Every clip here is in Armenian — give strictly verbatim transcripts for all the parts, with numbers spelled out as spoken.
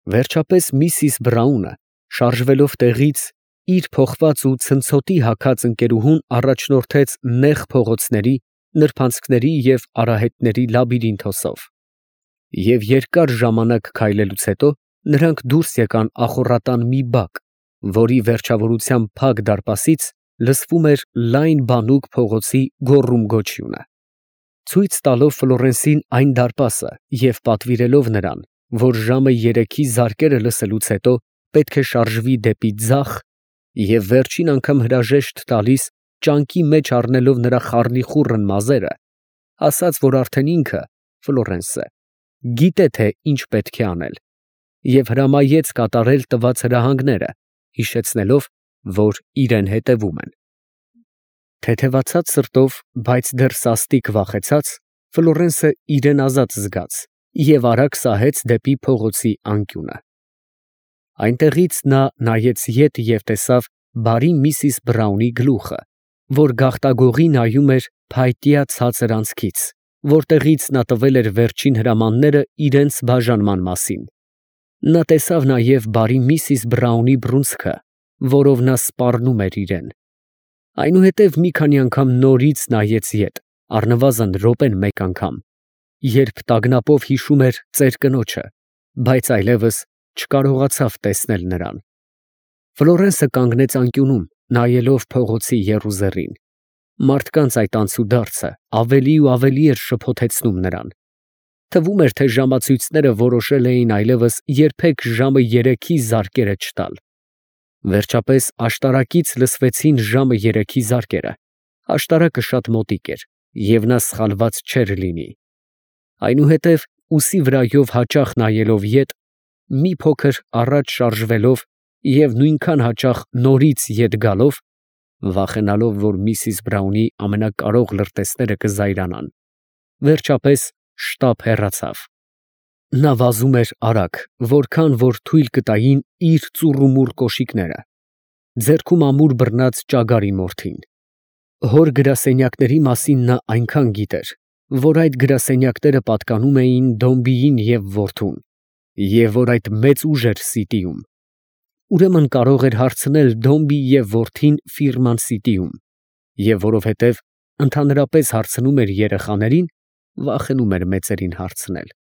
Վերջապես միսիս Բրաունը, շարժվելով տեղից, իր փոխված ու ցնցոտի հագած ընկերուհուն առաջնորդեց նեղ փողոցների, նրբանցքների և արահետների լաբիրինթոսով, և երկար ժամանակ քայլելուց հետո նրանք դուրս եկան ախոռատան մի բակ, որի վերջավորության փակ դարպասից լսվում էր լայն բանուկ փողոցի գոռում֊գոչյունը, ցույց տալով Ֆլորենսին այն դարպասը և պատվիրելով նրան, որ ժամը երեքի զարկերը լսելուց հետո պետք է շարժվի դեպի ձախ, և վերջին անգամ հրաժեշտ տալիս ճանկի մեջ առնելով նրա խառնիխուռն մազերը, ասաց, որ արդեն ինքը (Ֆլորենսը) գիտե, թե ինչ պետք է անել, և հրամայեց կատարել տված հրահանգները, հիշեցնելով, որ իրան հետևում են։ Թեթևացած սրտով, բայց դեռ սաստիկ վախեցած, Ֆլորենսը իրան ազատ զգաց և արագ սահեց դեպի փողոցի անկյունը։ Այնտեղից նա նայեց ետ և տեսավ բարի միսիս Բրաունի գլուխը, որ գաղտագողի նայում էր փայտյա ցածր անցքից, որտեղից նա տվել էր վերջին հրամանները իրենց բաժանման մասին։ Նա տեսավ նաև բարի միսիս Բրաունի բռունցքը, որով նա սպառնում էր իրան։ Այնուհետև մի քանի անգամ նորից նայեց ետ, առնվազն րոպեն մեկ անգամ, երբ տագնապով հիշում էր ծեր կնոջը, բայց այլևս չկարողացավ տեսնել նրան։ Ֆլորենսը կանգնեց անկյունում, նայելով փողոցի եռուզեռին։ Մարդկանց այդ անցուդարձը ավելի ու ավելի էր շփոթեցնում նրան։ Թվում էր, թե ժամացույցները որոշել էին այլևս երբեք ժամը երեքի զարկերը չտալ։ Վերջապես աշտարակից լսվեցին ժամը երեքի զարկերը, աշտարակը շատ մոտիկ էր, և նա սխալված չէր լինի։ Այնուհետև, ուսի վրայով հաճախ նայելով ետ, մի փոքր առաջ շարժվելով և նույնքան հաճախ նորից ետ գալով, վախենալով, որ միսիս Բրաունի ամենակարող լրտեսները կզայրանան, վերջապես շտապ հեռացավ։ Նա վազում էր արագ, որքան որ թույլ կտային իր ծուռումուռ կոշիկները, ձեռքում ամուր բռնած ճագարի մորթին։ Հոր գրասենյակների մասին նա այնքան գիտեր, որ այդ գրասենյակները պատկանում էին Դոմբիին և որդուն, և որ այդ մեծ ուժ էր Սիտիում։ Ուրեմն կարող էր հարցնել Դոմբի և որդին ֆիրման Սիտիում, և որովհետև ընդհանրապես հարցնում էր երեխաներին, վախենում էր մեծերին հարցնել։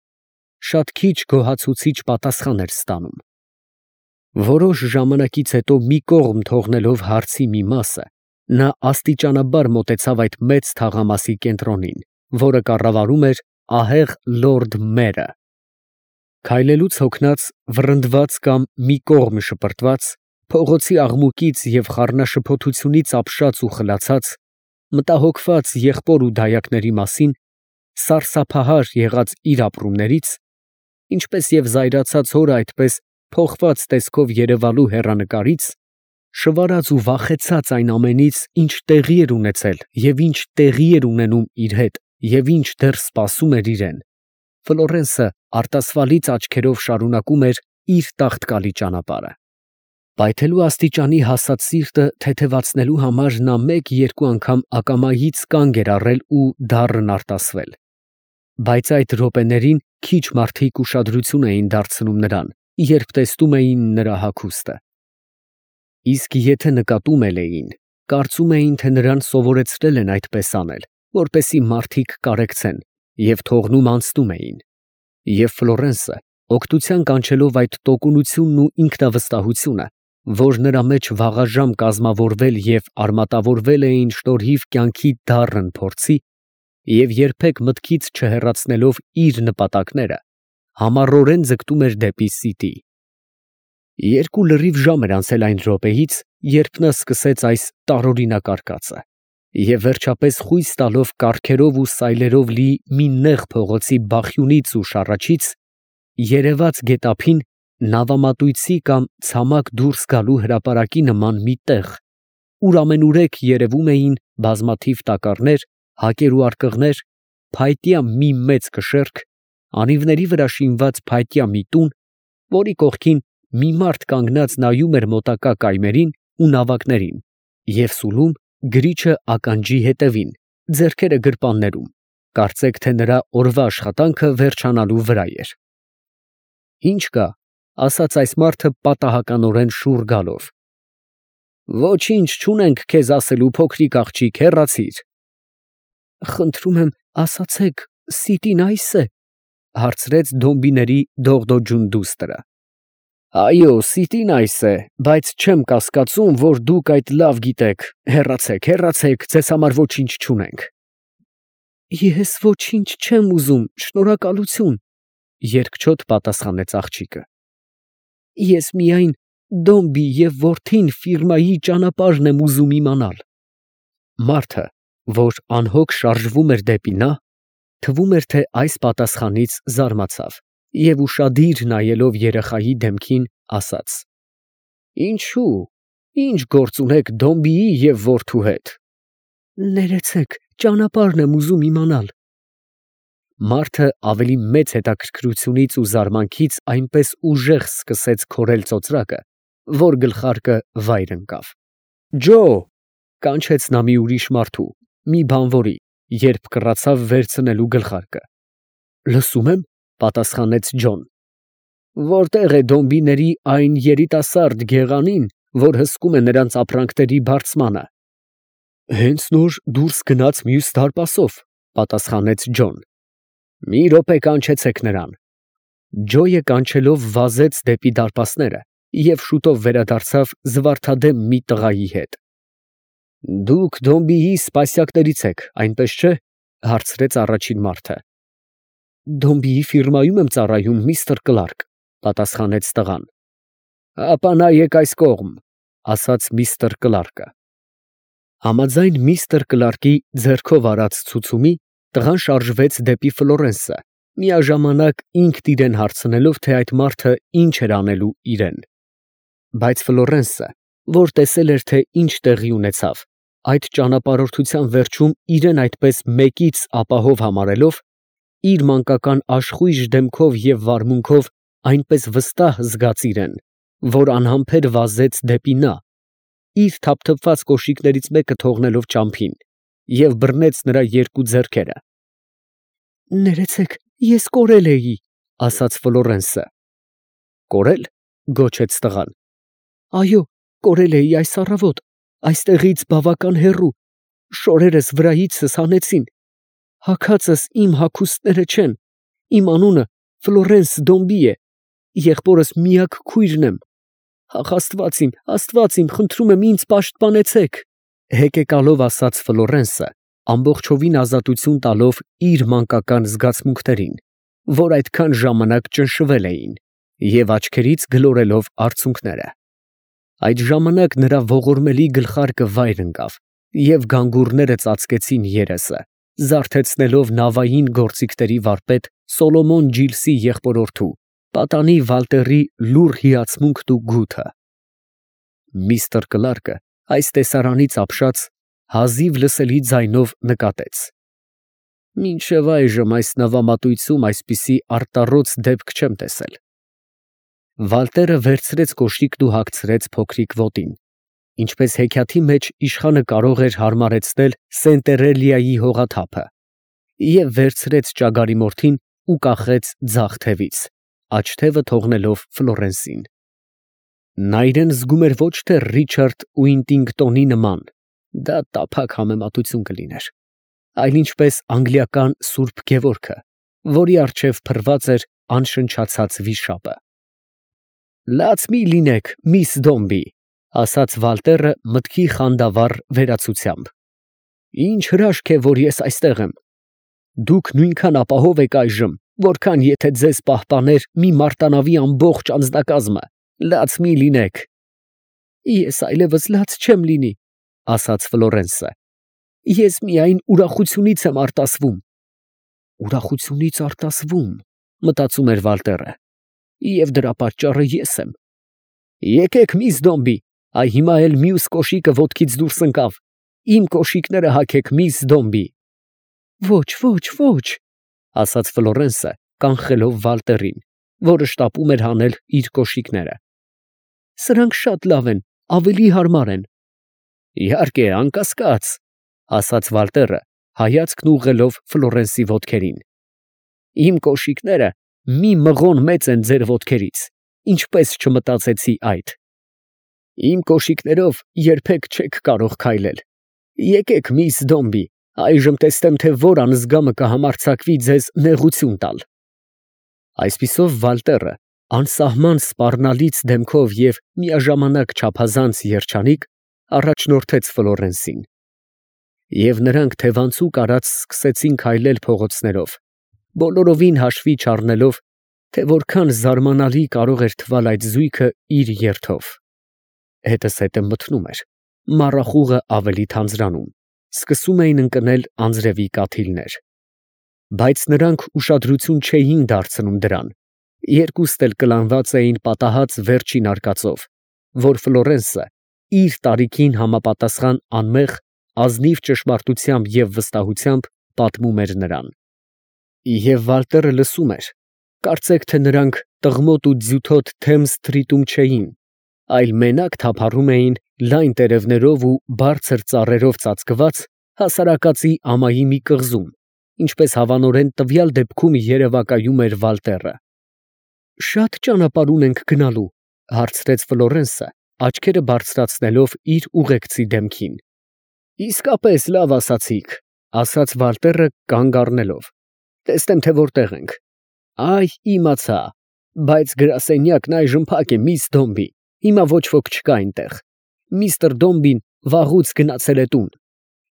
Շատ քիչ գոհացուցիչ պատասխան էր ստանում։ Որոշ ժամանակից հետո մի կողմ թողնելով հարցի մի մասը, նա աստիճանաբար մոտեցավ այդ մեծ թաղամասի կենտրոնին, որը կառավարում էր ահեղ լորդ մերը։ Քայլելուց հոգնած, վռնդված կամ մի կողմ շպրտված, փողոցի աղմուկից և խառնաշփոթությունից ապշած ու խլացած, մտահոգված եղբոր ու դայակների մասին, սարսափահար եղած իր ապրումներից, ինչպես և զայրացած հորը այդպես փոխված տեսքով երևալու հեռանկարից, շվարած ու վախեցած այն ամենից, ինչ տեղի էր ունեցել և ինչ տեղի էր ունենում իր հետ և ինչ դեռ սպասում էր իրան, Ֆլորենսը արտասվալից աչքերով շարունակում էր իր տաղտկալի ճանապարհը։ Պայթելու աստիճանի հասած սիրտը թեթևացնելու համար նա մեկ֊երկու անգամ ակամայից կանգ էր առել ու դառն արտասվել, բայց այդ րոպեներին քիչ մարդիկ ուշադրություն էին դարձնում նրան, երբ տեսնում էին նրա հագուստը։ Իսկ եթե նկատում էլ էին, կարծում էին, թե նրան սովորեցրել են այդպես անել, որպեսզի մարդիկ կարեկցեն, և թողնում անցնում էին։ Եվ Ֆլորենսը, օգտության կանչելով այդ տոկունությունն ու ինքնավստահությունը, որ նրա մեջ վաղաժամ կազմավորվել և արմատավորվել էին շնորհիվ կյանքի դառն փորձի, և երբեք մտքից չհեռացնելով իր նպատակները, համառորեն ձգտում էր դեպի Սիտի։ Երկու լրիվ ժամ էր անցել այն րոպեից, երբ նա սկսեց այս տարօրինակ արկածը, և վերջապես խույս տալով կառքերով ու սայլերով լի մի նեղ փողոցի բախյունից ու շառաչից, երևաց գետափին նավամատույցի կամ ցամաք դուրս գալու հրապարակի նման մի տեղ, ուր ամենուրեք երևում էին բազմաթիվ տակառներ, հակեր ու արկղներ, փայտյա մի մեծ կշեռք, անիվների վրա շինված փայտյա մի տուն, որի կողքին մի մարդ կանգնած նայում էր մոտակա կայմերին ու նավակներին և սուլում գրիչը ականջի ետևին, ձեռքերը գրպաններում, կարծեք թե նրա օրվա աշխատանքը վերջանալու վրա էր։ «Ի՞նչ կա, ասաց այս մարդը պատահականորեն շուռ գալով։ Ոչինչ չունենք քեզ ասելու, փոքրիկ աղջիկ, հեռացիր։ Խնդրում եմ, ասացեք, սիտին այս է, հարցրեց դոմբիների դողդոջուն դուստրը։ Այո, սիտին այս է, բայց չեմ կասկածում, որ դուք այդ լավ գիտեք, հեռացեք, հեռացեք, ձեզ համար ոչինչ չունենք։ Ես ոչինչ չեմ ուզում, շնորհակալություն, երկչոտ պատասխանեց աղջիկը։ Ես միայն Դոմբի և որդին ֆիրմայի ճանապարհն եմ ուզում իմանալ։ Մարդը, որ անհոգ շարժվում էր դեպի նա, թվում էր, թե այս պատասխանից զարմացավ և ուշադիր նայելով երեխայի դեմքին, ասաց. Ինչու, ինչ գործ ունեք Դոմբիի և որդու հետ։ Ներեցեք, ճանապարհն եմ ուզում իմանալ։ Մարդը ավելի մեծ հետաքրքրությունից ու զարմանքից այնպես ուժեղ սկսեց քորել ծոծրակը, որ գլխարկը վայր ընկավ։ Ջո, կանչեց նա մի ուրիշ մարդու, մի բանվորի, երբ կռացավ վերցնելու գլխարկը։ Լսում եմ, պատասխանեց Ջոն։ Որտե՞ղ է Դոմբիների այն երիտասարդ գեղանին, որ հսկում է նրանց ապրանքների բարձմանը։ Հենց նոր դուրս գնաց մյուս դարպասով, պատասխանեց Ջոն։ Մի րոպե կանչեցեք նրան։ Ջոյը կանչելով վազեց դեպի դարպասները և շուտով վերադարձավ զվարթադեմ մի տղայի հետ։ Դուք Դոմբիի սպասյակներից եք, այնպես չէ, հարցրեց առաջին մարդը։ Դոմբիի ֆիրմայում եմ ծառայում, միստր Կլարկ, պատասխանեց տղան։ Ապա նայեք այս կողմ, ասաց միստր Կլարկը։ Համաձայն միստր Կլարկի ձեռքով արած ցուցումի, տղան շարժվեց դեպի Ֆլորենսը, միաժամանակ ինքն իրեն հարցնելով, թե այդ մարդը ինչ էր անելու իրեն։ Բայց Ֆլորենսը, որ տեսել էր, թե ինչ տեղի ունեցավ, այդ ճանապարհորդության վերջում իրեն այդպես մեկից ապահով համարելով, իր մանկական աշխույժ դեմքով և վարմունքով այնպես վստահ զգաց իրեն, որ անհամբեր վազեց դեպի նա, իր թափթփված կոշիկներից մեկը թողնելով ճամփին, և բռնեց նրա երկու ձեռքերը։ Ներեցեք, ես կորել էի, ասաց Ֆլորենսը։ Կորել, գոչեց տղան։ Այո, կորել էի այս առավոտ, այստեղից բավական հեռու, շորերս վրայիցս հանեցին, հագածս իմ հագուստները չեն, իմ անունը Ֆլորենս Դոմբի է, եղբորս միակ քույրն եմ, ախ, աստված իմ, աստված իմ, խնդրում եմ, ինձ պաշտպանեցեք, հեկեկալով ասաց Ֆլորենսը, ամբողջովին ազատություն տալով իր մանկական զգացմունքներին, որ այդքան ժամանակ ճնշվել էին, և աչքերից գլորելով արցունքները։ Այդ ժամանակ նրա ողորմելի գլխարկը վայր ընկավ, և գանգուրները ծածկեցին երեսը, զարթեցնելով նավային գործիքների վարպետ Սոլոմոն Ջիլսի եղբորորդու, պատանի Վալտերի լուռ հիացմունքն ու գութը։ Միստր Կլարկը այս տեսարանից ապշած հազիվ լսելի ձայնով նկատեց. Մինչև այժմ այս նավամատույցում այսպիսի արտառոց դեպք չեմ տեսել։ Վալտերը վերցրեց կոշիկն ու հագցրեց փոքրիկ ոտին, ինչպես հեքիաթի մեջ իշխանը կարող էր հարմարեցնել Սենտերելիայի հողաթափը, և վերցրեց ճագարի մորթին ու կախեց ձախ թևից, աջ թևը թողնելով Ֆլորենսին։ Նա իրեն զգում էր ոչ թե Ռիչարդ Ուինտինգտոնի նման, դա տափակ համեմատություն կլիներ, այլ ինչպես անգլիական Սուրբ Գևորգը, որի առջև փռված էր անշնչացած վիշապը։ Լաց մի լինեք, միս Դոմբի, ասաց Վալտերը մտքի խանդավառ վերացությամբ։ Ինչ հրաշք է, որ ես այստեղ եմ։ Դուք նույնքան ապահով եք այժմ, որքան եթե ձեզ պահպաներ մի մարտանավի ամբողջ անձնակազմը, լաց մի լինեք։ Ես այլևս լաց չեմ լինի, ասաց Ֆլորենսը։ Ես միայն ուրախությունից եմ արտասվում։ Ուրախությունից արտասվում, մտածում էր Վալտերը, և դրա պատճառը ես եմ։ Եկեք, միս Դոմբի, այ հիմա էլ մյուս կոշիկը ոտքից դուրս ընկավ, իմ կոշիկները հագեք, միս Դոմբի։ Ոչ, ոչ, ոչ, ասաց Ֆլորենսը, կանխելով Վալտերին, որը շտապում էր հանել իր կոշիկները։ Սրանք շատ լավ են, ավելի հարմար են։ Իհարկե, անկասկած, ասաց Վալտերը, հայացքն ուղղելով Ֆլորենսի ոտքերին։ Իմ կոշիկները մի մղոն մեծ են ձեր ոտքերից, ինչպես չմտածեցի այդ։ Իմ կոշիկներով երբեք չեք կարող քայլել։ Եկեք, միս Դոմբի, այժմ տեսնեմ, թե որ անզգամը կհամարձակվի ձեզ նեղություն տալ։ Այսպիսով Վալտերը անսահման սպառնալից դեմքով և միաժամանակ չափազանց երջանիկ առաջնորդեց Ֆլորենսին։ Եվ նրանք թևանցուկ արած սկսեցին քայլել փողոցներով, բոլորովին հաշվի չառնելով, թե որքան զարմանալի կարող էր թվալ այդ զույգը իր երթով։ Հետս հետը մթնում էր, մառախուղը ավելի թանձրանում, սկսում էին ընկնել անձրևի կաթիլներ։ Բայց նրանք ուշադրություն չէին դարձնում դրան, երկուստ էլ կլանված էին պատահած վերջին արկածով, որ Ֆլորենսը իր տարիքին համապատասխան անմեղ, ազնիվ ճշմարտությամբ և վստահությամբ պատմում էր նրան։ Եվ Վալտերը լսում էր, կարծեք թե նրանք տղմոտ ու ձյութոտ Թեմզ սթրիթում չէին, այլ մենակ թափառում էին լայն տերևներով ու բարձր ծառերով ծածկված հասարակածի ամայի մի կղզում, ինչպես հավանորեն տվյալ դեպքում երևակայում էր Վալտերը։ «Շատ ճանապարհ ունենք գնալու, ֊ հարցրեց Ֆլորենսը, աչքերը բարձրացնելով իր ուղեկցի դեմքին։ ֊ Իսկապես լավ ասացիք, ֊ ասաց Վալտերը կանգ առնելով, ֊ տեսնեմ, թե որտեղ ենք։ Այ, իմացա, բայց գրասենյակն այժմ փակ է, միս Դոմբի, հիմա ոչ ոք չկա այնտեղ։ Միսթր Դոմբին վաղուց գնացել է տուն։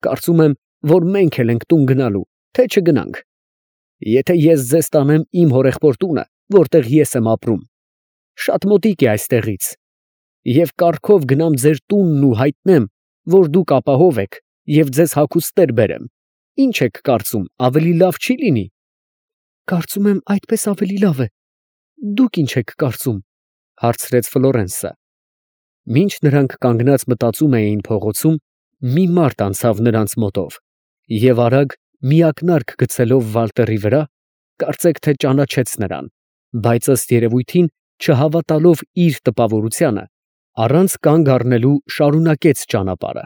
Կարծում եմ, որ մենք էլ ենք տուն գնալու, թե չգնանք։ Եթե ես ձեզ տանեմ իմ հորեղբոր տունը, որտեղ ես եմ ապրում, շատ մոտիկ է այստեղից, և կառքով գնամ ձեր տունն ու հայտնեմ, որ դուք ապահով եք, և ձեզ հագուստներ բերեմ, ի՞նչ եք կարծում, ավելի լավ չի լինի։ ֊ Կարծում եմ, այդպես ավելի լավ է։ Դուք ի՞նչ եք կարծում, ֊ հարցրեց Ֆլորենսը։ Մինչ նրանք կանգնած մտածում էին փողոցում, մի մարդ անցավ նրանց մոտով և արագ միակնարկ գցելով Վալտերի վրա, կարծեք թե ճանաչեց նրան, բայց ըստ երևույթին, չհավատալով իր տպավորությանը, առանց կանգ առնելու շարունակեց ճանապարհը։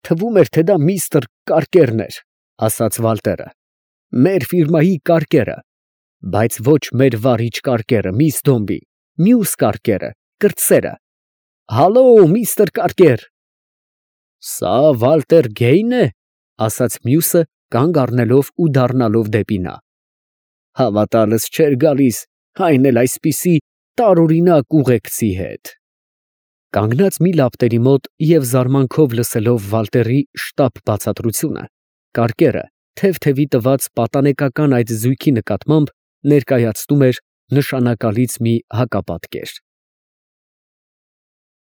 «Թվում էր, թե դա միստր Կարկերն էր, ֊ ասաց Վալտերը, ֊ մեր ֆիրմայի Կարկերը, բայց ոչ մեր վարիչ Կարկերը, միս Դոմբի, մյուս Կարկերը, կրտսերը։ Հալո, միստր Կարկեր։ ֊ Սա Վալտեր Գեյն է, ֊ ասաց մյուսը, կանգ առնելով ու դառնալով դեպի նա։ Հավատալս չէր գալիս, այն էլ այսպիսի տարօրինակ ուղեկցի հետ։ Կանգնած մի լապտերի մոտ և զարմանքով լսելով Վալտերի շտապ բացատրությունը, Կարկերը թև֊թևի տված պատանեկական այդ զույգի նկատմամբ ներկայացնում էր նշանակալից մի հակապատկեր։